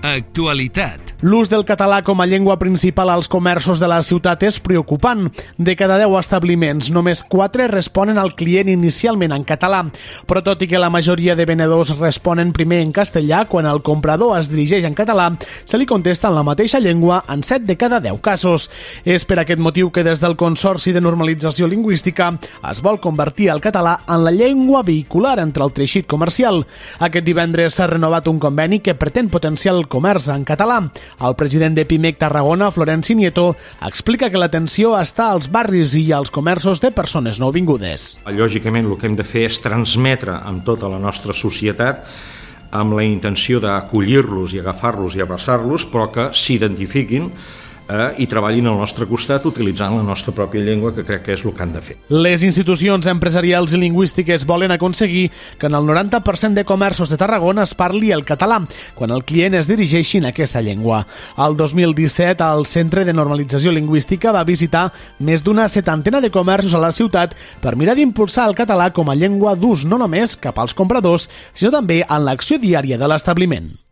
Actualitat. L'ús del català com a llengua principal als comerços de la ciutat és preocupant. De cada 10 establiments, només 4 responen al client inicialment en català. Però tot i que la majoria de venedors responen primer en castellà, quan el comprador es dirigeix en català, se li contesta en la mateixa llengua en 7 de cada 10 casos. És per aquest motiu que des del Consorci de Normalització Lingüística es vol convertir el català en la llengua vehicular entre el teixit comercial. Aquest divendres s'ha renovat un conveni que pretén potenciar el comerç en català. El president de Pimec Tarragona, Florenci Nieto, explica que l'atenció està als barris i als comerços de persones nouvingudes. Lògicament, el que hem de fer és transmetre amb tota la nostra societat amb la intenció d'acollir-los i agafar-los i abraçar-los, però que s'identifiquin i treballin al nostre costat utilitzant la nostra pròpia llengua, que crec que és el que han de fer. Les institucions empresarials i lingüístiques volen aconseguir que en el 90% de comerços de Tarragona es parli el català, quan el client es dirigeixi en aquesta llengua. El 2017, el Centre de Normalització Lingüística va visitar més d'una 70 de comerços a la ciutat per mirar d'impulsar el català com a llengua d'ús no només cap als compradors, sinó també en l'acció diària de l'establiment.